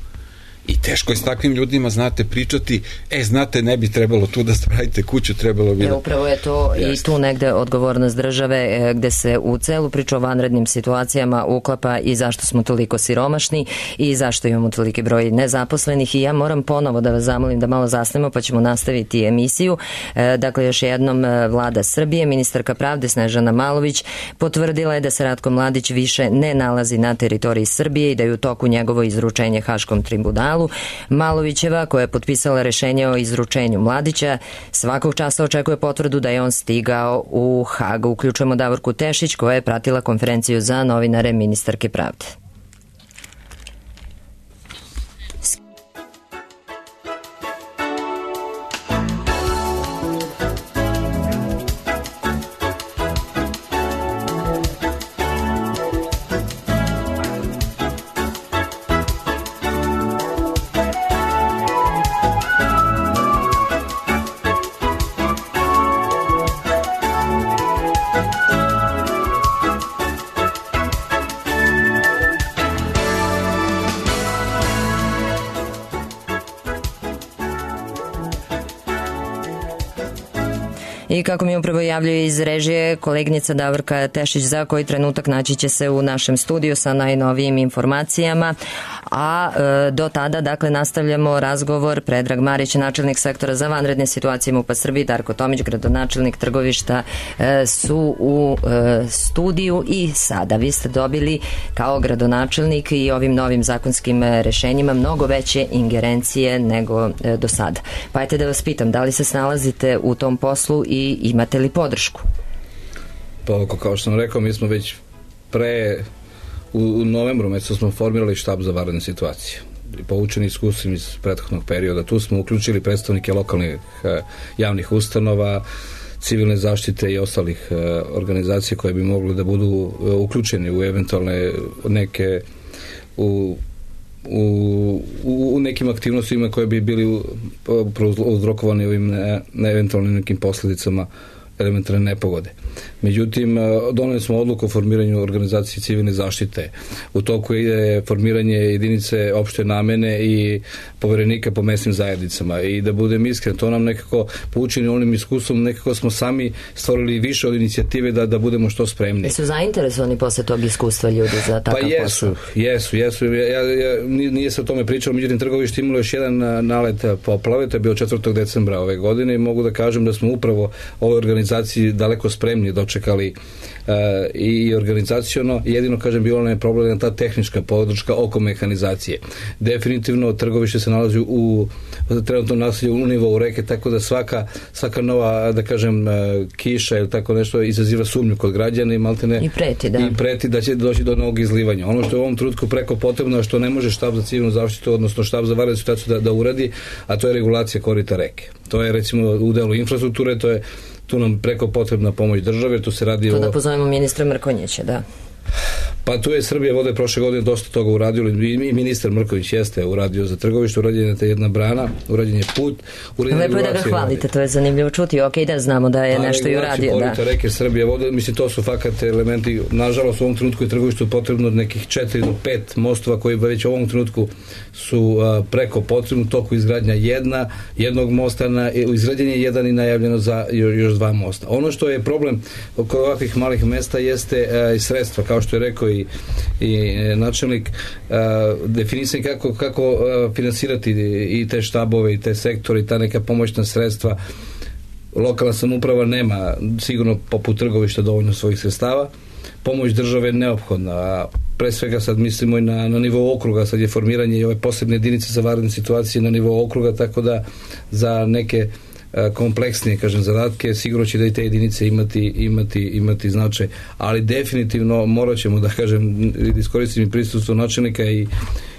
I teško je s takvim ljudima, znate, pričati, e, znate, ne bi trebalo tu da spravite kuću, trebalo bi... E, upravo je to Jeste. I tu negde odgovornost države, gde se u celu priču o vanrednim situacijama uklapa i zašto smo toliko siromašni i zašto imamo toliki broj nezaposlenih. I ja moram ponovo da vas zamolim da malo zasnemo, pa ćemo nastaviti emisiju. E, dakle, još jednom Vlada Srbije, ministarka pravde Snežana Malović potvrdila je da se Ratko Mladić više ne nalazi na teritoriji Srbije i da je u toku njegovo izručenje Haškom tribunalu. Malovićeva, koja je potpisala rešenje o izručenju Mladića, svakog časa očekuje potvrdu da je on stigao u Hag. Uključujemo Davorku Tešić, koja je pratila konferenciju za novinare ministarke pravde. I kako mi upravo javljaju iz režije kolegnica Davorka Tešić, za koji trenutak naći će se u našem studiju sa najnovijim informacijama, a e, do tada, dakle, nastavljamo razgovor. Predrag Marić, načelnik sektora za vanredne situacije MUP-a Srbije, Darko Tomić, gradonačelnik Trgovišta, e, su u e, studiju. I sada vi ste dobili kao gradonačelnik i ovim novim zakonskim rešenjima mnogo veće ingerencije nego e, do sada. Pa ajte da vas pitam, da li se snalazite u tom poslu i imate li podršku? Pa, kao što sam rekao, mi smo već pre u, u novembru mesecu smo formirali štab za vanredne situacije. Poučeni iskustvima iz prethodnog perioda. Tu smo uključili predstavnike lokalnih eh, javnih ustanova, civilne zaštite i ostalih eh, organizacija koje bi mogli da budu eh, uključeni u eventualne neke u U, u nekim aktivnostima koje bi bili uzrokovani ovim ne, ne eventualnim nekim posljedicama elementarne nepogode. Međutim, doneli smo odluku o formiranju organizacije civilne zaštite. U toku je formiranje jedinice opšte namene i poverenika po mesnim zajednicama. I da budem iskren, to nam nekako poučeni onim iskustvom, nekako smo sami stvorili više od inicijative da, da budemo što spremni. Jesu zainteresovani posle tog iskustva ljudi za takav pa jesu, posao? jesu, jesu. Ja, ja, nije se o tome pričalo, međutim Trgovište imalo još jedan nalet poplave, to je bio četvrtog decembra ove godine i mogu da kažem da smo upravo ove organizaciji daleko spremni dočekali uh, i organizaciono. Jedino, kažem, bilo nam je problem ta tehnička podrška oko mehanizacije. Definitivno Trgovište se nalazi u trenutnom naselju u nivou reke, tako da svaka, svaka nova, da kažem, kiša ili tako nešto izaziva sumnju kod građana i maltene i preti, da. i preti da će doći do novog izlivanja. Ono što je u ovom trenutku preko potrebno, što ne može štab za civilnu zaštitu, odnosno štab za vanrednu situaciju da, da uradi, a to je regulacija korita reke. To je, recimo, u delu infrastrukture, to je tu nam preko potrebna pomoć države, tu se radi to o... da pozovemo ministra Mrkonjića, da. Pa tu je Srbija vode prošle godine dosta toga uradio i ministar Mrković jeste uradio za Trgovište, urađena je jedna brana, urađen je put, urađen je lepo je da ga hvalite, to je zanimljivo čuti, ok, da znamo da je a, nešto i uradio, da. A reke Srbije vode, mislim, to su fakat elementi, nažalost u ovom trenutku je Trgovištu potrebno nekih četiri do pet mostova koji već u ovom trenutku su a, preko potrebno, toku izgradnja jedna, jednog mosta, na, izgrađen je jedan i najavljeno za još dva mosta. Ono što je problem oko ovakvih malih mesta jeste a, i sredstva, kao što je rekao i, i načelnik, definisanje kako, kako finansirati i te štabove i te sektore i ta neka pomoćna sredstva. Lokalna samouprava nema sigurno poput Trgovišta dovoljno svojih sredstava. Pomoć države je neophodna. Pre svega sad mislimo i na, na nivou okruga, sad je formiranje i ove posebne jedinice za vanredne situacije na nivou okruga, tako da za neke kompleksnije, kažem, zadatke, sigurno će da i te jedinice imati, imati, imati značaj, ali definitivno morat ćemo da, kažem, da iskoristim i prisustvo načelnika i,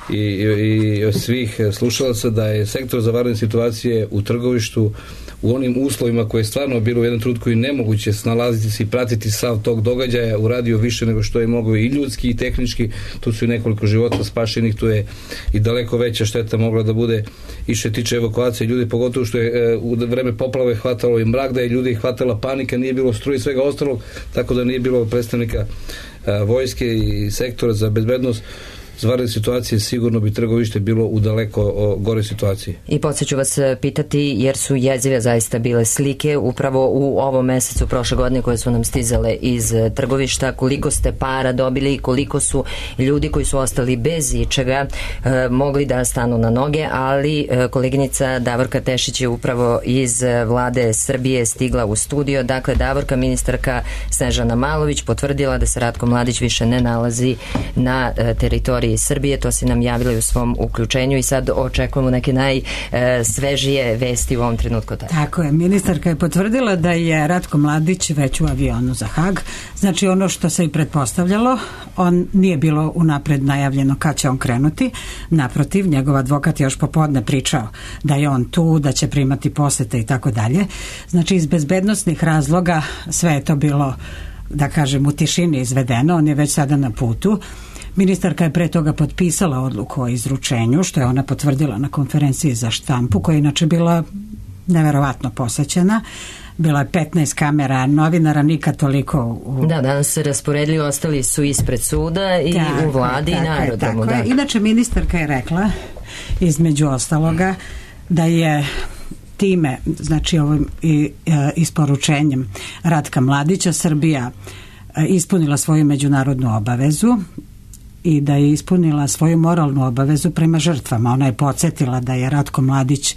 i, i svih slušalaca da je sektor za vanredne situacije u Trgovištu u onim uslovima koje je stvarno bilo u jednom trenutku i nemoguće snalaziti se i pratiti sav tog događaja, uradio više nego što je mogao i ljudski i tehnički. Tu su i nekoliko života spašenih, tu je i daleko veća šteta mogla da bude i što tiče evakuacije ljudi, pogotovo što je u vreme poplave hvatalo i mrak, da je ljudi hvatala panika, nije bilo struje i svega ostalog, tako da nije bilo predstavnika vojske i sektora za bezbednost. vanredne situacije sigurno bi Trgovište bilo u daleko o, gore situaciji. I podsjeću vas pitati, jer su jezive zaista bile slike upravo u ovom mesecu prošle godine koje su nam stizale iz Trgovišta, koliko ste para dobili i koliko su ljudi koji su ostali bez ičega e, mogli da stanu na noge, ali e, koleginica Davorka Tešić je upravo iz vlade Srbije stigla u studio. Dakle, Davorka, ministarka Snežana Malović potvrdila da se Ratko Mladić više ne nalazi na e, teritoriji Srbije. To si nam javila u svom uključenju i sad očekujemo neke najsvežije vesti u ovom trenutku. Tako je, ministarka je potvrdila da je Ratko Mladić već u avionu za Hag. Znači ono što se i pretpostavljalo, on nije bilo unapred najavljeno kad će on krenuti. Naprotiv, njegov advokat je još popodne pričao da je on tu, da će primati posete i tako dalje. Znači iz bezbednosnih razloga sve je to bilo, da kažem, u tišini izvedeno. On je već sada na putu. Ministarka je pre toga potpisala odluku o izručenju, što je ona potvrdila na konferenciji za štampu, koja je inače bila neverovatno posećena. Bilo je petnaest kamera, novinara, nikad toliko u... Da, danas se rasporedili, ostali su ispred suda i tako, u vladi i na aerodromu. Da. Inače, ministarka je rekla, između ostaloga, da je time, znači ovim i, e, isporučenjem Ratka Mladića, Srbija e, ispunila svoju međunarodnu obavezu i da je ispunila svoju moralnu obavezu prema žrtvama. Ona je podsjetila da je Ratko Mladić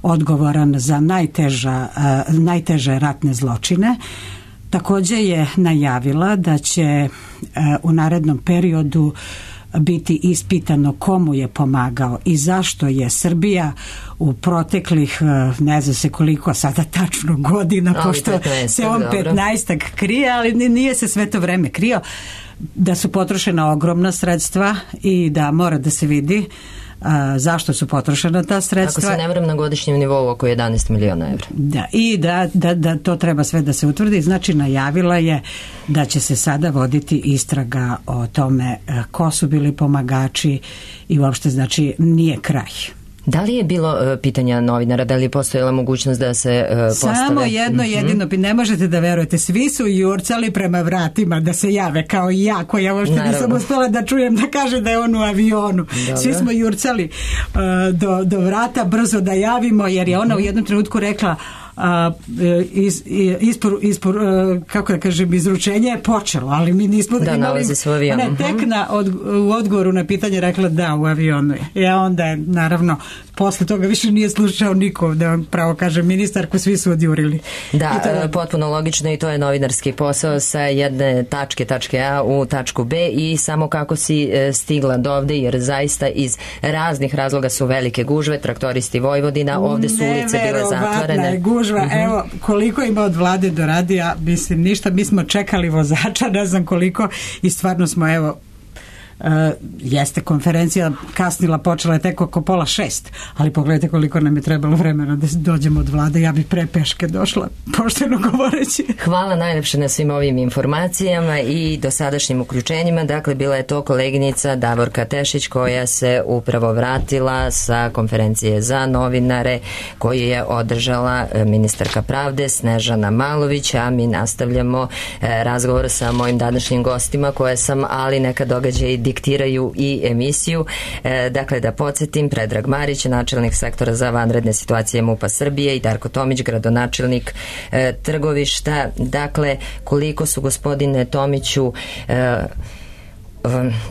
odgovoran za najteža, uh, najteže ratne zločine. Također je najavila da će uh, u narednom periodu biti ispitano komu je pomagao i zašto je Srbija u proteklih ne znam se koliko sada tačno godina, ali pošto petnaestak, se on petnaestak krije, ali nije se sve to vreme krio, da su potrošena ogromna sredstva i da mora da se vidi a, zašto su potrošena ta sredstva. Ako se ne varam, na godišnjem nivou oko jedanaest miliona evra. Da, i da, da, da to treba sve da se utvrdi. Znači najavila je da će se sada voditi istraga o tome ko su bili pomagači i uopšte znači nije kraj. Da li je bilo uh, pitanja novinara, da li je postojala mogućnost da se uh, postave? Samo jedno mm-hmm. jedino, ne možete da verujete, svi su jurcali prema vratima da se jave, kao i ja, koja uopšte Naravno. nisam uspela da čujem da kaže da je on u avionu. Dobro. Svi smo jurcali uh, do, do vrata brzo da javimo, jer je ona mm-hmm. u jednom trenutku rekla a is, ispor, ispor, kako da kažem, izručenje je počelo, ali mi nismo da imali, ona je tek na od, u odgovoru na pitanje rekla da, u avionu je. Ja onda je, naravno, posle toga više nije slušao niko, da vam pravo kažem, ministarku, svi su odjurili. Da, to... potpuno logično i to je novinarski posao sa jedne tačke, tačke A u tačku B i samo kako si stigla do ovde, jer zaista iz raznih razloga su velike gužve, traktoristi Vojvodina, ovde su ulice bile zatvorene. Gužva, uh-huh. Evo, koliko ima od vlade do radija, mislim, ništa, mi smo čekali vozača, ne znam koliko i stvarno smo, evo, Uh, jeste konferencija kasnila, počela je tek oko pola šest, ali pogledajte koliko nam je trebalo vremena da dođemo od vlade, ja bi pre peške došla, pošteno govoreći. Hvala najlepše na svim ovim informacijama i dosadašnjim uključenjima. Dakle, bila je to koleginica Davorka Tešić koja se upravo vratila sa konferencije za novinare koju je održala ministarka pravde Snežana Malović, a mi nastavljamo razgovor sa mojim današnjim gostima koje sam, ali neka događaj i diktiraju i emisiju. E, dakle, da podsjetim, Predrag Marić, načelnik sektora za vanredne situacije MUP-a Srbije i Darko Tomić, gradonačelnik e, Trgovišta. Dakle, koliko su, gospodine Tomiću, e,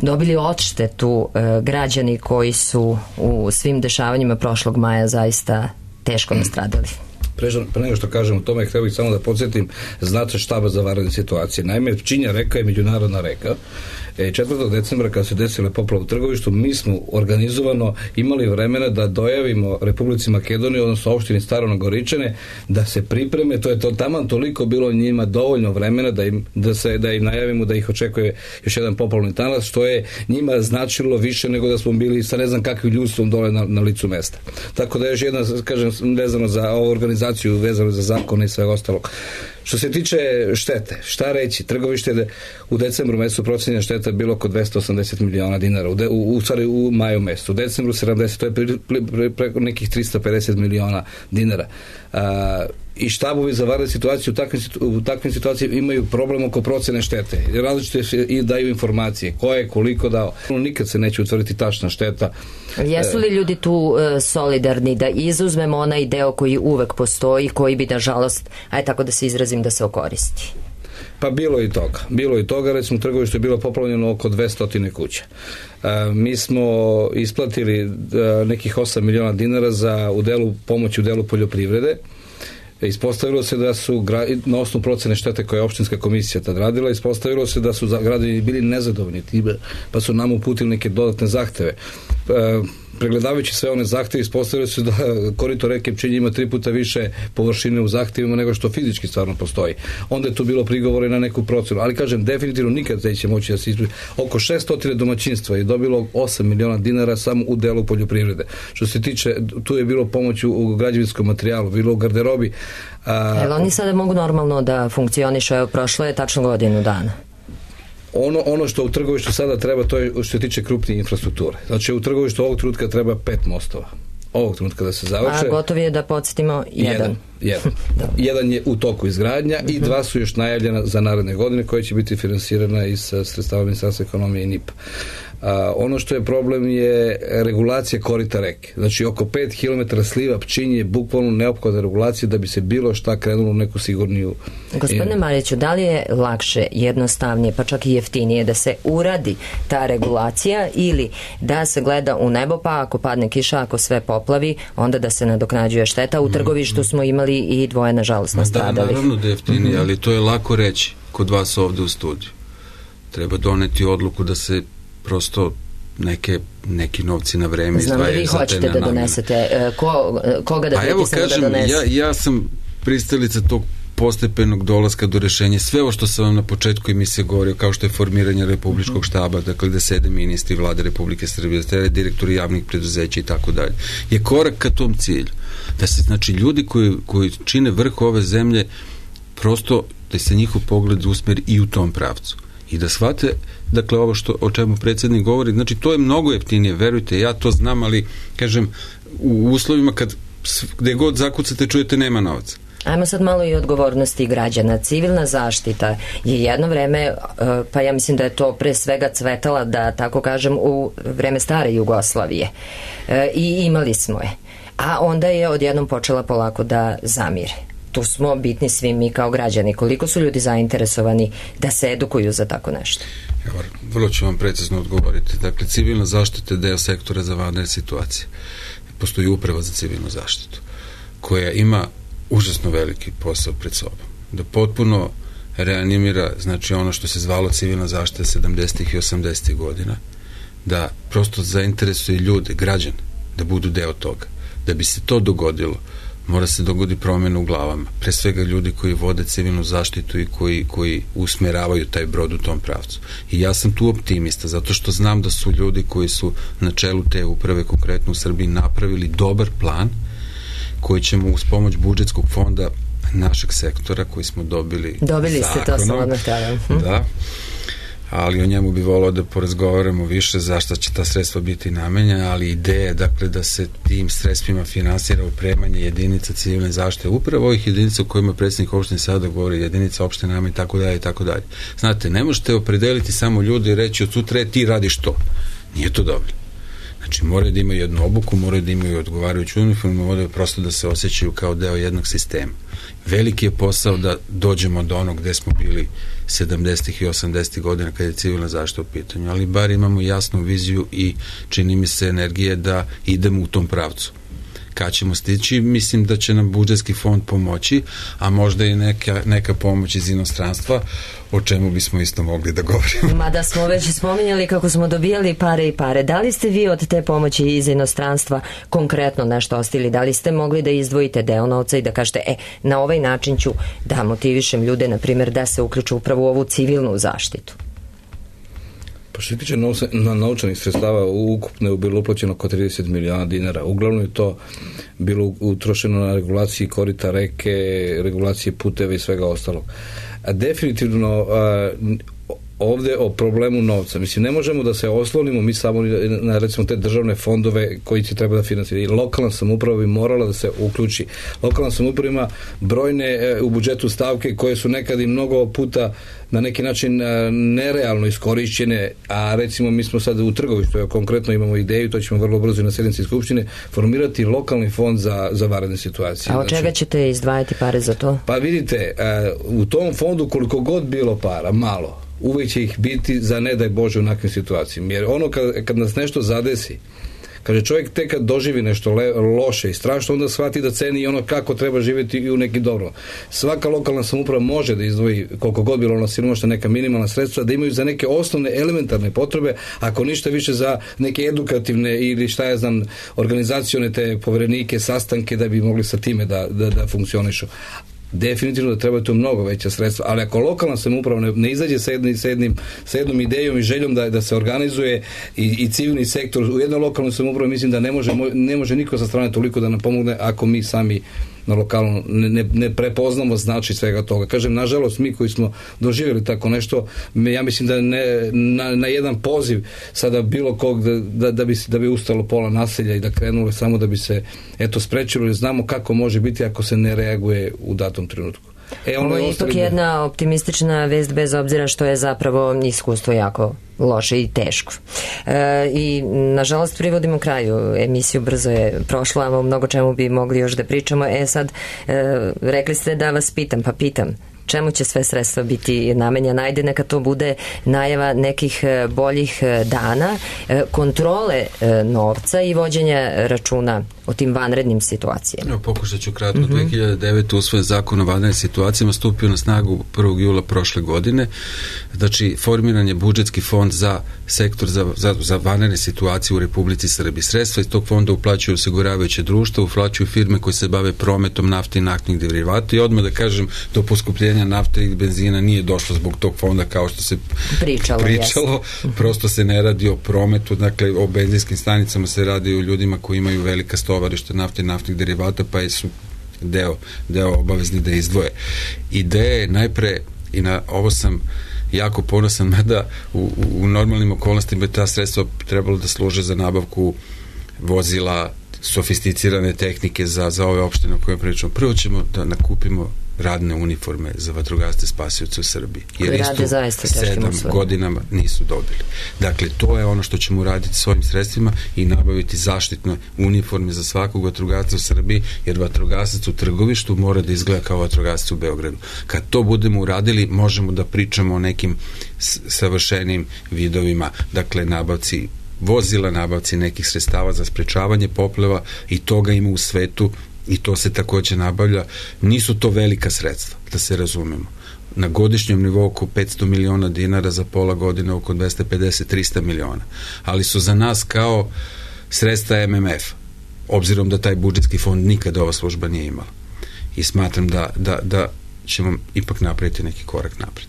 dobili odštetu e, građani koji su u svim dešavanjima prošlog maja zaista teško nastradali? Pre nego što kažem o tome, htio bih samo da podsjetim znate štaba za vanredne situacije. Naime, Pčinja reka je međunarodna reka. četvrtog decembra kad se desile poplave u Trgovištu, mi smo organizovano imali vremena da dojavimo Republici Makedoniji, odnosno opštini Staro Nagoričane, da se pripreme, to je to taman toliko bilo njima dovoljno vremena da im, da se, da im najavimo da ih očekuje još jedan poplavni talas, što je njima značilo više nego da smo bili sa ne znam kakvim ljudstvom dole na, na licu mesta. Tako da još jedna, kažem, vezano za ovu organizaciju, vezano za zakone i sve ostalo. Što se tiče štete, šta reći? Trgovište je u decembru mesecu procenjena šteta bilo oko dvesta osamdeset miliona dinara, u, de, u, u, stvari u maju mesecu, u decembru sedamdeset, to je pre, pre, preko nekih trista pedeset miliona dinara. A, i štabovi za vanredne situacije u takvim, u takvim situacijama imaju problem oko procene štete. Različite i daju informacije ko je koliko dao. Nikad se neće utvrditi tačna šteta. Jesu li ljudi tu e, solidarni da izuzmemo onaj deo koji uvek postoji, koji bi nažalost, aj tako da se izrazim, da se okoristi? Pa bilo i toga. Bilo i toga, recimo u Trgovištu je bilo poplavljeno oko dvesta kuća. A, mi smo isplatili a, nekih osam miliona dinara za u delu, pomoć u delu poljoprivrede. Ispostavilo se da su, na osnovu procene štete koje je opštinska komisija tad radila, ispostavilo se da su građani bili nezadovoljni, pa su nam uputili neke dodatne zahteve. E, pregledavajući sve one zahteve, ispostavilo se da korito reke Pčinje ima tri puta više površine u zahtevima nego što fizički stvarno postoji. Onda je tu bilo prigovore na neku procenu, ali kažem, definitivno nikad neće moći da se ispravi. Oko šeststo domaćinstva je dobilo osam miliona dinara samo u delu poljoprivrede. Što se tiče, tu je bilo pomoć u građevinskom materijalu, bilo u garderobi. A, Evo, oni sada mogu normalno da funkcionišu, evo, prošlo je tačno godinu dana. Ono, ono što u Trgovištu sada treba, to je što se tiče krupnije infrastrukture. Znači u Trgovištu ovog trenutka treba pet mostova. Ovog trenutka da se završe. A gotov je, da podsjetimo, jedan. Jedan, jedan. jedan je u toku izgradnja i dva su još najavljena za naredne godine koje će biti finansirana iz sredstava Ministarstva ekonomije i N I P. A, ono što je problem je regulacija korita reke. Znači oko pet kilometara sliva Pčinje je bukvalno neophodna regulacija da bi se bilo šta krenulo u neku sigurniju. Gospodine Mariću, da li je lakše, jednostavnije, pa čak i jeftinije da se uradi ta regulacija ili da se gleda u nebo, pa ako padne kiša, ako sve poplavi, onda da se nadoknađuje šteta? U Trgovištu smo imali i dvoje, nažalost, nastradali. Da, naravno da je jeftinije, ali to je lako reći kod vas ovde u studiju. Treba doneti odluku da se prosto neke, neki novci na vreme izdvajaju za te nenamene. Znam li vi hoćete da donesete? Ko, koga da pritisnemo da donese? Ja, ja sam pristalica tog postepenog dolaska do rešenja. Sve ovo što sam vam na početku emisije govorio, kao što je formiranje republičkog štaba, dakle da sede ministri vlade Republike Srbije, da sede direktori javnih preduzeća i tako dalje, je korak ka tom cilju. Da se, znači, ljudi koji, koji čine vrh ove zemlje, prosto da se njihov pogled usmeri i u tom pravcu. I da shvate, dakle, ovo što, o čemu predsjednik govori, znači, to je mnogo jeftinije, verujte, ja to znam, ali, kažem, u uslovima kad gde god zakucate, čujete, nema novca. Ajmo sad malo i odgovornosti građana. Civilna zaštita je jedno vreme, pa ja mislim da je to pre svega cvetala, da tako kažem, u vreme stare Jugoslavije. I imali smo je. A onda je odjednom počela polako da zamire. Tu smo bitni svi mi kao građani. Koliko su ljudi zainteresovani da se edukuju za tako nešto? Evo, vrlo ću vam precizno odgovoriti. Dakle, civilna zaštita je deo sektora za vanredne situacije. Postoji uprava za civilnu zaštitu, koja ima užasno veliki posao pred sobom. Da potpuno reanimira, znači, ono što se zvalo civilna zaštita sedamdesetih i osamdesetih godina, da prosto zainteresuje ljude, građane, da budu deo toga. Da bi se to dogodilo, mora se dogodi promjena u glavama. Pre svega ljudi koji vode civilnu zaštitu i koji, koji usmeravaju taj brod u tom pravcu. I ja sam tu optimista, zato što znam da su ljudi koji su na čelu te uprave, konkretno u Srbiji, napravili dobar plan koji ćemo uz pomoć budžetskog fonda našeg sektora koji smo dobili Dobili zakonom, ste to sam odmah tada. Hm. Da, ali o njemu bi volao da porazgovaramo više zašto će ta sredstva biti namenjena, ali ideja, dakle, da se tim sredstvima finansira opremanje jedinica civilne zaštite, upravo ovih jedinica o kojima predsjednik opštine sada govori, jedinica opštine nama i tako dalje i tako dalje. Znate, ne možete opredeliti samo ljude i reći od sutra ti radiš to. Nije to dobro. Znači, moraju da imaju jednu obuku, moraju da imaju odgovarajuću uniformu, moraju prosto da se osjećaju kao deo jednog sistema. Veliki je posao da dođemo do onog gde smo bili sedamdesetih i osamdesetih godina kada je civilna zaštita u pitanju, ali bar imamo jasnu viziju i čini mi se energije da idemo u tom pravcu. Kad ćemo stići, mislim da će nam budžetski fond pomoći, a možda i neka, neka pomoć iz inostranstva, o čemu bismo isto mogli da govorimo. Mada smo već spominjali kako smo dobijali pare i pare. Da li ste vi od te pomoći iz inostranstva konkretno nešto ostili? Da li ste mogli da izdvojite deo novca i da kažete, e, na ovaj način ću da motivišem ljude, na primjer, da se uključu upravo u ovu civilnu zaštitu? Pa što se tiče na novčanih sredstava, ukupno je bilo uplaćeno oko trideset miliona dinara. Uglavnom je to bilo utrošeno na regulaciji korita reke, regulacije puteva i svega ostalog. A definitivno a, ovde o problemu novca. Mislim, ne možemo da se oslonimo mi samo na, recimo, te državne fondove koji će treba da finansiraju. I lokalna samouprava bi morala da se uključi. Lokalna samouprava ima brojne e, u budžetu stavke koje su nekad i mnogo puta na neki način e, nerealno iskorišćene, a recimo mi smo sad u Trgovištu, evo, konkretno imamo ideju, to ćemo vrlo brzo na sednici Skupštine, formirati lokalni fond za, za vanredne situacije. A od čega znači, ćete izdvajati pare za to? Pa vidite, e, u tom fondu koliko god bilo para, malo, uvijek će ih biti za ne daj Bože u nakvim situacijama. Jer ono kad, kad nas nešto zadesi, kaže čovjek tek kad doživi nešto le, loše i strašno, onda shvati da ceni i ono kako treba živjeti i u neki dobro. Svaka lokalna samouprava može da izdvoji koliko god bilo ono siromašna neka minimalna sredstva, da imaju za neke osnovne elementarne potrebe, ako ništa više za neke edukativne ili šta ja znam, organizacione te poverenike, sastanke da bi mogli sa time da, da, da funkcionišu. Definitivno da treba tu mnogo veća sredstva, ali ako lokalna samouprava ne, ne izađe sa, jednim, sa, jednim, sa jednom idejom i željom da, da se organizuje i, i civilni sektor u jednoj lokalnoj samoupravi, mislim da ne može, ne može niko sa strane toliko da nam pomogne ako mi sami na lokalno ne, ne prepoznamo znači svega toga. Kažem, nažalost, mi koji smo doživjeli tako nešto, ja mislim da ne, na, na jedan poziv sada bilo kog da, da, da, bi, da bi ustalo pola naselja i da krenulo samo da bi se eto sprečilo, jer znamo kako može biti ako se ne reaguje u datom trenutku. E, ono Ovo je ipak jedna optimistična vest bez obzira što je zapravo iskustvo jako loše i teško. E, I nažalost privodimo kraju. Emisiju brzo je prošla, a o mnogo čemu bi mogli još da pričamo. E sad, e, rekli ste da vas pitam, pa pitam. Čemu će sve sredstva biti namenjena? Ajde, neka to bude najava nekih boljih dana, kontrole novca i vođenja računa o tim vanrednim situacijama. Evo, pokušat ću kratko. Mm-hmm. dve hiljade devete. usvojen zakon o vanrednim situacijama, stupio na snagu prvog jula prošle godine. Znači, formiran je budžetski fond za sektor za, za, za vanredne situacije u Republici Srbiji. Sredstva iz tog fonda uplaćuju osiguravajuće društvo, uplaćuju firme koje se bave prometom nafte i naftnih derivata i odmah da kažem, do poskupljenja nafte i benzina nije došlo zbog tog fonda kao što se pričalo. pričalo. Prosto se ne radi o prometu, dakle o benzinskim stanicama se radi o ljudima koji imaju velika stovarišta nafte i naftnih derivata, pa su deo, deo obavezni da izdvoje. Ideja je najpre, i na ovo sam jako ponosan, mada u, u normalnim okolnostima ta sredstva trebalo da služe za nabavku vozila, sofisticirane tehnike za, za ove opštine o kojima pričamo. Prvo ćemo da nakupimo radne uniforme za vatrogasce spasioce u Srbiji. Jer isto sedam godinama nisu dobili. Dakle, to je ono što ćemo uraditi s ovim sredstvima i nabaviti zaštitne uniforme za svakog vatrogasca u Srbiji, jer vatrogasac u Trgovištu mora da izgleda kao vatrogasac u Beogradu. Kad to budemo uradili, možemo da pričamo o nekim savršenim vidovima, dakle, nabavci vozila, nabavci nekih sredstava za sprečavanje poplava, i toga ima u svetu i to se takođe nabavlja. Nisu to velika sredstva, da se razumemo. Na godišnjem nivou oko petsto miliona dinara, za pola godine oko dvesta pedeset do trista miliona. Ali su za nas kao sredstva M M F, obzirom da taj budžetski fond nikada ova služba nije imala. I smatram da, da, da ćemo ipak napraviti neki korak napred.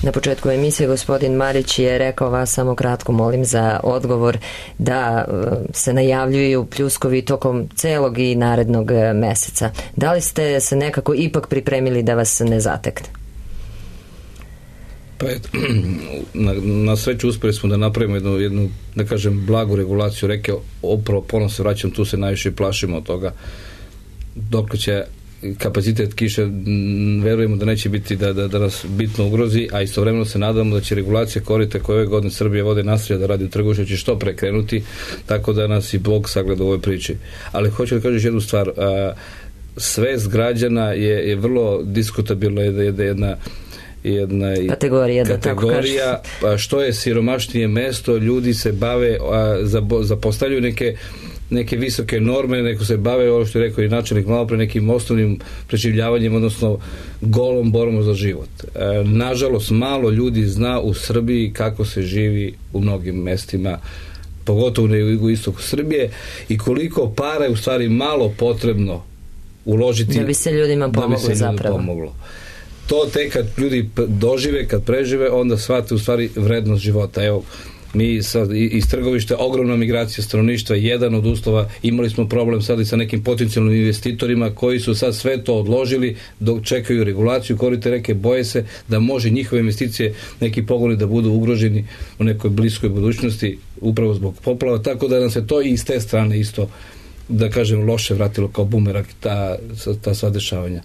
Na početku emisije gospodin Marić je rekao, vas samo kratko molim za odgovor, da se najavljuju pljuskovi tokom celog i narednog meseca. Da li ste se nekako ipak pripremili da vas ne zatekne? Pa eto, na, na sreću uspeli smo da napravimo jednu, jednu, da kažem, blagu regulaciju reke. Opravo ponovno se vraćam, tu se najviše plašimo od toga. Dok će kapacitet kiše, verujemo da neće biti da, da, da nas bitno ugrozi, a istovremeno se nadamo da će regulacija korita koje ove godine Srbije vode nastavlja da radi u Trgovištu će što prekrenuti, tako da nas i Bog sagleda u ovoj priči. Ali hoću da kažeš jednu stvar, a, svest građana je, je vrlo diskutabilna, jedna, jedna jedna kategorija, kategorija pa što je siromašnije mesto, ljudi se bave, a, zapostavljaju neke neke visoke norme, neko se bave, ovo što je rekao i načelnik malo pre, nekim osnovnim preživljavanjem, odnosno golom borbom za život. E, nažalost, malo ljudi zna u Srbiji kako se živi u mnogim mestima, pogotovo na jugoistoku Srbije, i koliko para je u stvari malo potrebno uložiti da bi se ljudima pomoglo, da bi se zapravo. Pomoglo. To tek kad ljudi dožive, kad prežive, onda shvate u stvari vrednost života. Evo, Mi sad iz Trgovišta ogromna migracija stanovništva, jedan od uslova, imali smo problem sad i sa nekim potencijalnim investitorima koji su sad sve to odložili dok čekaju regulaciju korita reke, boje se da može njihove investicije, neki pogoni da budu ugroženi u nekoj bliskoj budućnosti upravo zbog poplava, tako da nam se to i iz te strane isto, da kažem, loše vratilo kao bumerang ta, ta sva dešavanja.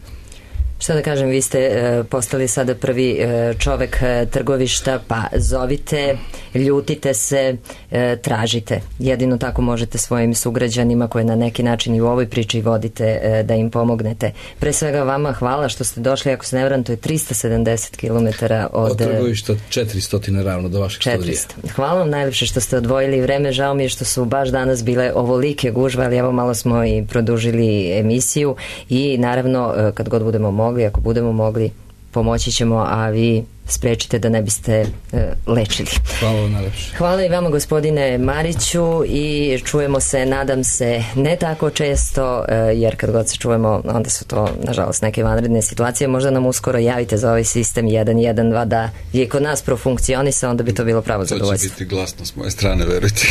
Šta da kažem, vi ste e, postali sada prvi e, čovek e, Trgovišta, pa zovite, ljutite se, e, tražite. Jedino tako možete svojim sugrađanima koje na neki način i u ovoj priči vodite e, da im pomognete. Pre svega vama hvala što ste došli, ako se ne varam, to je tristo sedamdeset kilometara od... Od Trgovišta četiristo ravno do vašeg četiristo. studija. Hvala vam najlepše što ste odvojili vreme, žao mi je što su baš danas bile ovolike gužve, ali evo malo smo i produžili emisiju i naravno e, kad god budemo mogli, ako budemo mogli, pomoći ćemo, a vi sprečite da ne biste e, lečili. Hvala vam najlepše. Hvala i vama, gospodine Mariću, i čujemo se, nadam se, ne tako često, e, jer kad god se čujemo, onda su to, nažalost, neke vanredne situacije. Možda nam uskoro javite za ovaj sistem jedan jedan dva da je kod nas profunkcionisa, onda bi to bilo pravo zadovoljstvo. To će biti glasno s moje strane, verujte.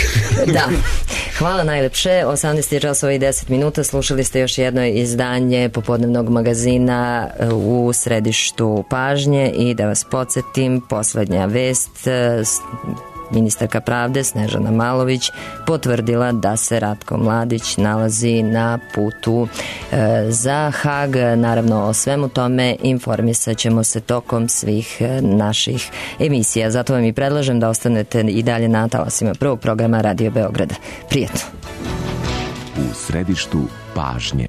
Da. Hvala najlepše. osamnaest časova i deset minuta. Slušali ste još jedno izdanje popodnevnog magazina u središtu pažnje i da vas podsjetim, poslednja vest, ministarka pravde Snežana Malović potvrdila da se Ratko Mladić nalazi na putu e, za Hag. Naravno, o svemu tome informisat ćemo se tokom svih e, naših emisija. Zato vam i predlažem da ostanete i dalje na talasima prvog programa Radio Beograda. Prijetno. U središtu pažnje.